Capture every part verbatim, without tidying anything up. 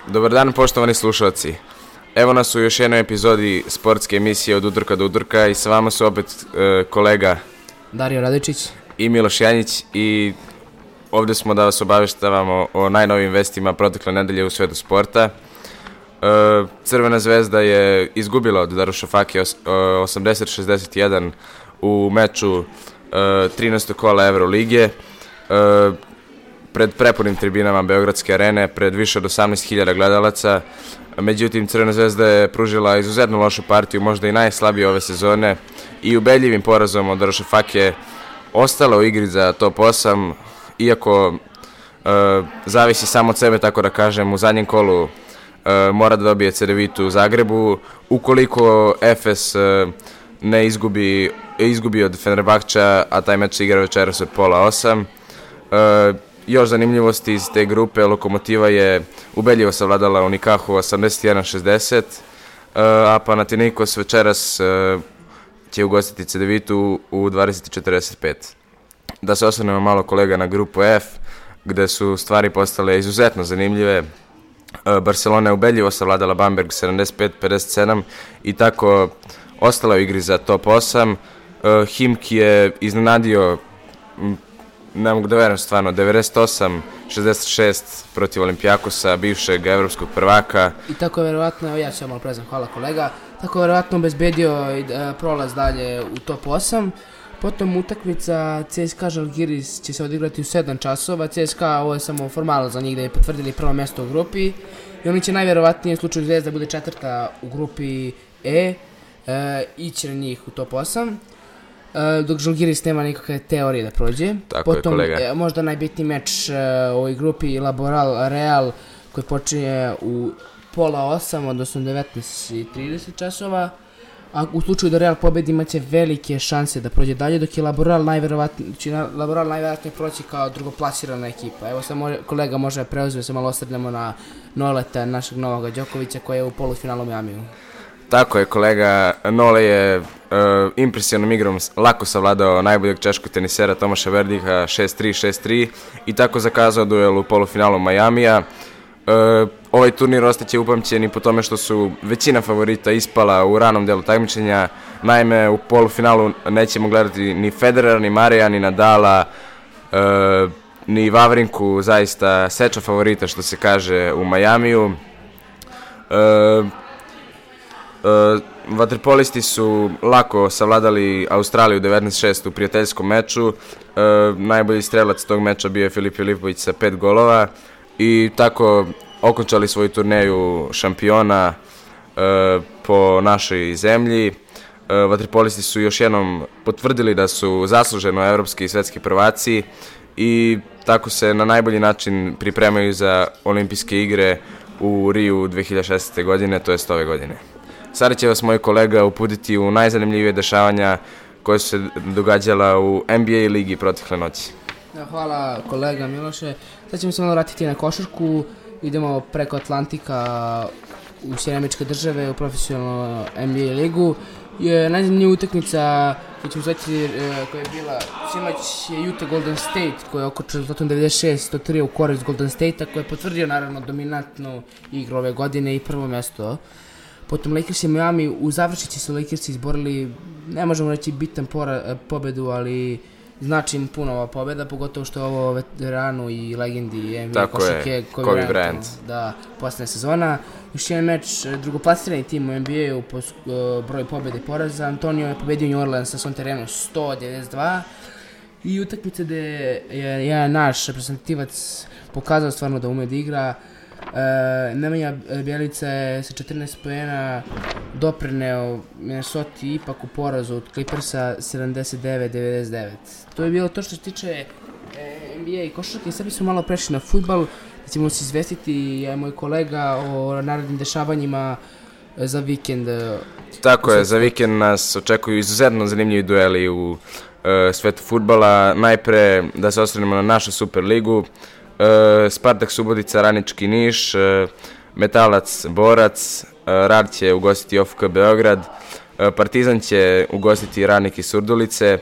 Dobar dan, poštovani slušalci. Evo nas u još jednoj epizodi sportske emisije Od utorka do utorka i sa vama su opet e, kolega Dario Radičić i Miloš Janjić i ovdje smo da vas obaveštavamo o najnovijim vestima protekle nedelje u svetu sporta. E, Crvena zvezda je izgubila od Darušafake osamdeset šezdeset jedan u meču e, trinaestog kola Evrolige. E, pred prepunim tribinama Beogradske arene, pred više od osamnaest hiljada gledalaca. Međutim, Crvena zvezda je pružila izuzetno lošu partiju, možda i najslabije ove sezone i ubedljivim porazom od Darušafake ostala u igri za top osam, iako e, zavisi samo od sebe, tako da kažem, u zadnjem kolu e, mora da dobije Cedevitu u Zagrebu. Ukoliko Efes e, ne izgubi, izgubi od Fenerbahča, a taj meč se igra večeras od pola osam. E, Još zanimljivosti iz te grupe, Lokomotiva je ubedljivo savladala Unikahu osamdeset jedan šezdeset, a Panathinaikos večeras će ugostiti Cedevitu u dvadeset četrdeset pet. Da se osvrnemo malo, kolega, na grupu F, gde su stvari postale izuzetno zanimljive. Barcelona je ubedljivo savladala Bamberg sedamdeset pet pedeset sedam i tako ostala u igri za top osam. Himki je iznenadio, ne mogu da verujem stvarno, devedeset osam šezdeset šest protiv Olimpijakosa, bivšeg evropskog prvaka. I tako je verovatno, evo ja ću malo prezam, hvala kolega, tako je verovatno obezbedio i prolaz dalje u top osam. Potom utakmica C S K A Žalgiris će se odigrati u sedam časova. C S K A, ovo je samo formalno za njih da je potvrdili prvo mjesto u grupi i oni će najverovatnije u slučaju Zvezda bude četvrta u grupi E, e ići na njih u top osam. Uh, dok Žalgiris nema nikakve teorije da prođe. Tako Potom, je, kolega. E, možda najbitniji meč uh, u ovoj grupi Laboral Real, koji počinje u pola osam, odnosno devetnaest i trideset časova. A u slučaju da Real pobedi imaće velike šanse da prođe dalje, dok je Laboral najverovatnije, će Laboral najverovatnije proći kao drugoplasirana ekipa. Evo sad može, kolega može preuzeti, se malo osvrnemo na Noleta, našeg Novoga Đokovića, koji je u polufinalu Miamiju. Tako je, kolega. Nole je uh, impresivnom igrom lako savladao najboljeg češkog tenisera Tomaša Verdiha šest tri šest tri i tako zakazao duel u polufinalu Majamija. Uh, ovaj turnir ostaće upamćen i po tome što su većina favorita ispala u ranom delu takmičenja. Naime, u polufinalu nećemo gledati ni Federera, ni Marija, ni Nadala, uh, ni Vavrinku, zaista seča favorita, što se kaže, u Majamiju. Uh, Uh, vaterpolisti su lako savladali Australiju devetnaest šest u prijateljskom meču. Uh, najbolji strelac tog meča bio je Filip Filipović sa pet golova i tako okončali svoju turneju šampiona uh, po našoj zemlji. Uh, vaterpolisti su još jednom potvrdili da su zasluženo evropski i svetski prvaci i tako se na najbolji način pripremaju za olimpijske igre u Riju dve hiljade šesnaeste. godine, to jest ove godine. Sada će vas moj kolega uputiti u najzanimljivije dešavanja koje su se događala u N B A ligi protekle noći. Hvala kolega Miloše. Sad ćemo se malo vratiti na košarku. Idemo preko Atlantika u Sjedinjene Američke Države u profesionalnu N B A ligu. Je najzanimljivija utakmica koju ćemo zvati, koja je bila sinoć, je Utah Golden State, koja je okončala rezultatom devedeset šest sto tri u korist Golden State-a, koja je potvrdio naravno dominantnu igru ove godine i prvo mjesto. Potom Lakers i Miami, u završnici su Lakersi izborili, ne možemo reći bitan pora, pobedu, ali znači im puno ova pobeda, pogotovo što je ovo veteranu i legendi N B A košarke Kobe Bryant. Da, posljednja sezona. Još jedan meč, drugoplasirani tim u N B A-u po uh, broju pobjede i poraza. Antonio je pobedio New Orleans na svom terenu sto devedeset dva i utakmice gde je jedan naš reprezentativac pokazao stvarno da ume da igra. E, Nemanja Bjelica je sa četrnaest poena doprineo Minnesota ipak u porazu od Clippersa sedamdeset devet devedeset devet. To je bilo to što se tiče e, N B A i košarke. Sad bismo malo prešli na fudbal, da ćemo se izvestiti, ja i moj kolega, o narednim dešavanjima za vikend. Tako je, za vikend nas očekuju izuzetno zanimljivi dueli u e, svetu fudbala. Najpre da se osvrnemo na našu Superligu. E, Spartak Subotica, Radnički Niš, e, Metalac Borac, e, Rad će ugostiti O F K Beograd, e, Partizan će ugostiti Radnik iz Surdulice, e,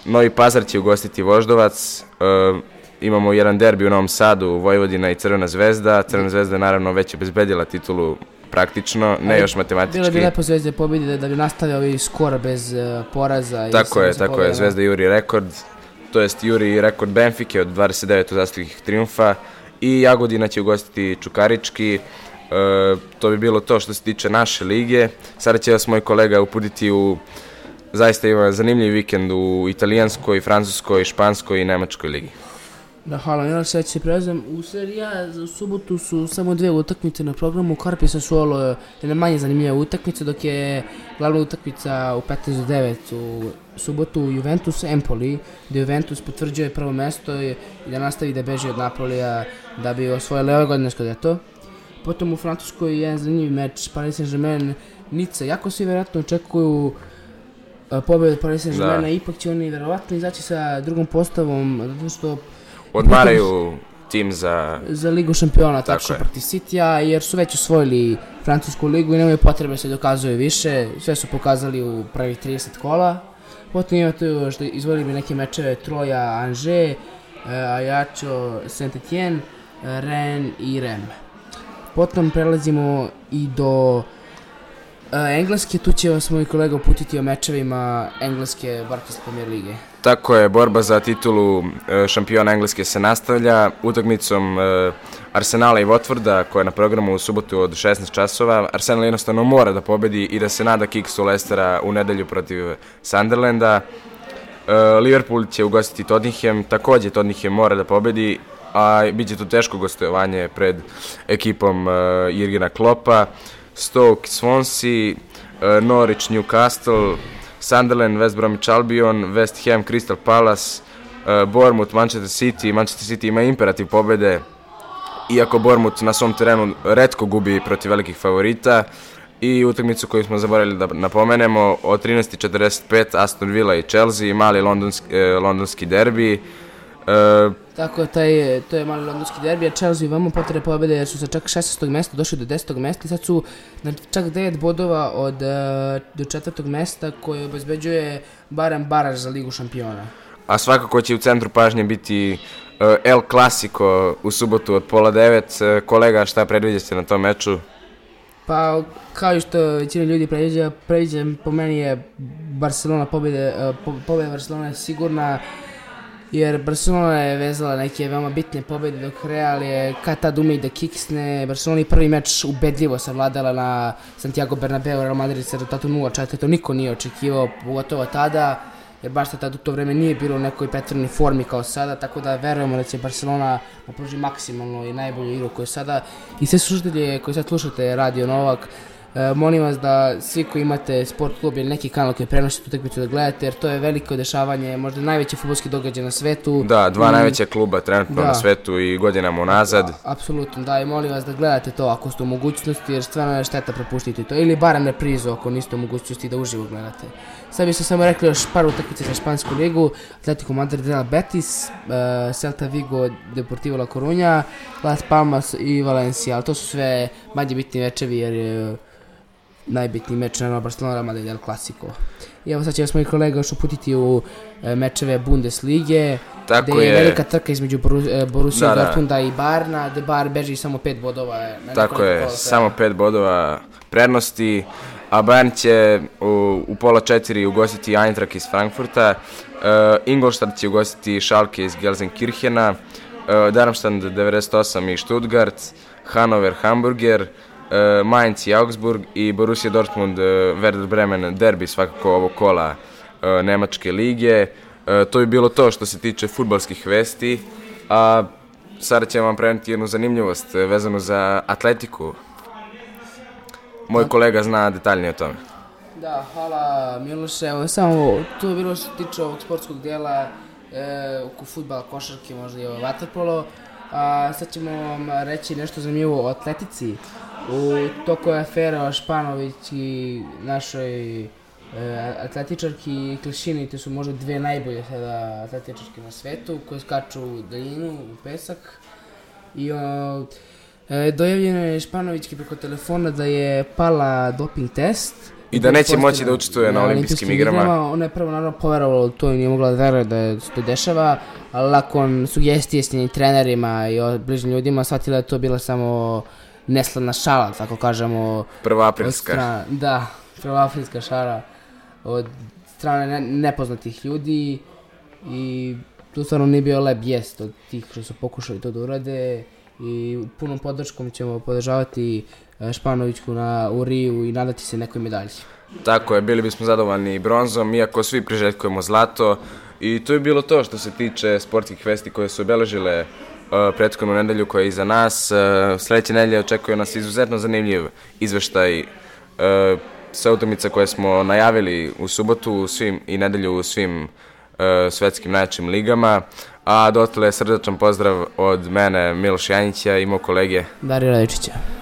Novi Pazar će ugostiti Voždovac, e, imamo jedan derbi u Novom Sadu, Vojvodina i Crvena zvezda. Crvena zvezda je naravno već obezbedila titulu praktično, ne još matematički. Bilo bi lepo Zvezda pobedi da bi nastavio ovaj skor bez uh, poraza. Tako je, tako je, Zvezda juri rekord, to jest juri rekord Benfike od dvadeset devet uzastopnih trijumfa i Jagodina će ugostiti Čukarički. Uh, to bi bilo to što se tiče naše lige. Sada će vas moj kolega uputiti u zaista ima zanimljiv vikend u italijanskoj, francuskoj, španskoj i nemačkoj ligi. Da, hvala, Miloš, sad će prelazim u seriju. U subotu su samo dve utakmice na programu. Carpi Sassuolo je jedna manje zanimljiva utakmica, dok je glavna utakmica u petnaest do devet u subotu Juventus Empoli, gdje Juventus potvrđuje prvo mesto i da nastavi da beži od Napolija da bi osvojili ove godine Scudetto. Potom u Francuskoj je jedan zanimljiv meč Paris Saint-Germain Nice. Jako svi vjerojatno očekuju pobjedu Paris Saint-Germaina, ipak će oni vjerovatno izaći sa drugom postavom, zato što odmaraju tim za... za Ligu šampiona, tako protiv Citya, jer su već osvojili francusku ligu i nemaju potrebe se dokazuju više, sve su pokazali u prvih trideset kola. Potom imate još da izvojili bi neke mečeve Troja, Angers, Ajaccio, Saint-Etienne, Rennes i Reims. Potom prelazimo i do uh, Engleske, tu će vas moj kolega uputiti o mečevima Engleske Barclays Premier lige. Tako je, borba za titulu uh, šampiona Engleske se nastavlja utakmicom uh, Arsenala i Watforda koja je na programu u subotu od šesnaest časova. Arsenal jednostavno mora da pobedi i da se nada kiksu Leicestera u nedelju protiv Sunderlanda. Uh, Liverpool će ugostiti Tottenham, također Tottenham mora da pobedi, a bit će tu teško gostovanje pred ekipom uh, Jurgena Kloppa. Stoke, Swansea, uh, Norwich, Newcastle, Sunderland, West Bromwich Albion, West Ham, Crystal Palace, uh, Bournemouth, Manchester City. Manchester City ima imperativ pobjede, iako Bournemouth na svom terenu retko gubi protiv velikih favorita. I utakmicu koju smo zaboravili da napomenemo, od trinaest četrdeset pet Aston Villa i Chelsea, mali londonski, uh, londonski derbi. Uh, Tako, taj, to je mali londonski derbi, a Chelsea vamo potrebe pobjede jer su sa čak šesnaestog mjesta došli do desetog mjesta i sad su na čak devet bodova od uh, do četvrtog mjesta koje obezbeđuje barem baraž za Ligu šampiona. A svakako će u centru pažnje biti uh, El Clasico u subotu od pola devet. Uh, kolega, šta predviđate na tom meču? Pa, kao što većina ljudi predviđa, predviđam, po meni je Barcelona pobjede, uh, pobjeda Barcelona je sigurna, jer Barcelona je vezala neke veoma bitne pobjede dok Real je kad tad ume da kiksne. Barcelona je prvi meč ubedljivo savladala na Santiago Bernabeu, Real Madrid sa rezultatom nula četiri, to niko nije očekivao, pogotovo tada, jer baš tad u to vreme nije bilo u nekoj pretvorenoj formi kao sada, tako da verujemo da će Barcelona napruži maksimalno i najbolju igru koju sada. I sve slušatelje koji sad slušate Radio Novak, E, molim vas da svi koji imate sport klub ili neki kanal koji prenosi tu utakmicu da gledate, jer to je veliko dešavanje, možda najveći fudbalski događaj na svetu. Da, dva I, najveća kluba trenutno da. na svetu i godinama unazad. Da, apsolutno, da, i molim vas da gledate to ako ste u mogućnosti, jer stvarno je šteta propustiti to, ili barem reprizu ako niste u mogućnosti da uživo gledate. Sad bi se samo rekli još par utakmice za špansku ligu: Atletico Madrid, Real Betis, uh, Celta Vigo, Deportivo La Coruña, Las Palmas i Valencia, ali to su sve manje bitni večevi jer je najbitniji meč na Barcelona Real Madrid El Clasico. I evo sad će vas moji kolega još uputiti u e, mečeve Bundeslige, tako gdje je, je velika trka između Borussia da, Dortmunda i Bayerna, gdje Bayern beži samo pet bodova. Tako je, samo pet bodova prednosti, a Bayern će u, u pola četiri ugostiti Eintracht iz Frankfurta, uh, Ingolstadt će ugostiti Schalke iz Gelsenkirchena, uh, Darmstadt devedeset osam i Stuttgart, Hannover, Hamburger, Uh, Mainz i Augsburg i Borussia Dortmund, uh, Werder Bremen, derbi svakako ovog kola uh, Nemačke lige. Uh, to je bilo to što se tiče fudbalskih vesti, a sada ćemo vam preneti jednu zanimljivost uh, vezanu za Atletiku. Moj kolega zna detaljnije o tome. Da, hvala Miloše, evo samo to je bilo što se tiče ovog sportskog dijela, e, oko fudbala, košarke, možda i ovo vaterpolo. A sad ćemo vam reći nešto zanimljivo o Atletici. U toku je afera o Španović i našoj e, atletičarki Klišini, te su možda dve najbolje sada atletičarke na svetu koje skaču u daljinu, u pesak. I o, e, dojavljeno je Španovićki preko telefona da je pala doping test I da neće moći da učestvuje na olimpijskim igrama. Ona je prvo naravno poverovala u to i nije mogla da veruje da se to dešava, ali nakon sugestije s njenim trenerima i bližnjim ljudima shvatila je to bila samo neslavna šala, tako kažemo. Prvoaprilska. Strana, da, prvoaprilska šala od strane ne, nepoznatih ljudi i tu stvarno nije bio lep jest od tih što su pokušali to da urade i punom podrškom ćemo podržavati Španovićku na, u Riju i nadati se nekoj medalji. Tako je, bili bismo zadovoljni bronzom, iako svi priželjkujemo zlato. I to je bilo to što se tiče sportskih vesti koje su obeležile uh, prethodnu nedelju koja je iza nas. Uh, sljedeće nedelje očekuje nas izuzetno zanimljiv izveštaj uh, sa utakmica koje smo najavili u subotu u svim, i nedelju u svim uh, svetskim najjačim ligama. A dotle srdačan pozdrav od mene, Miloš Janjića i mog kolege Darija Radičića.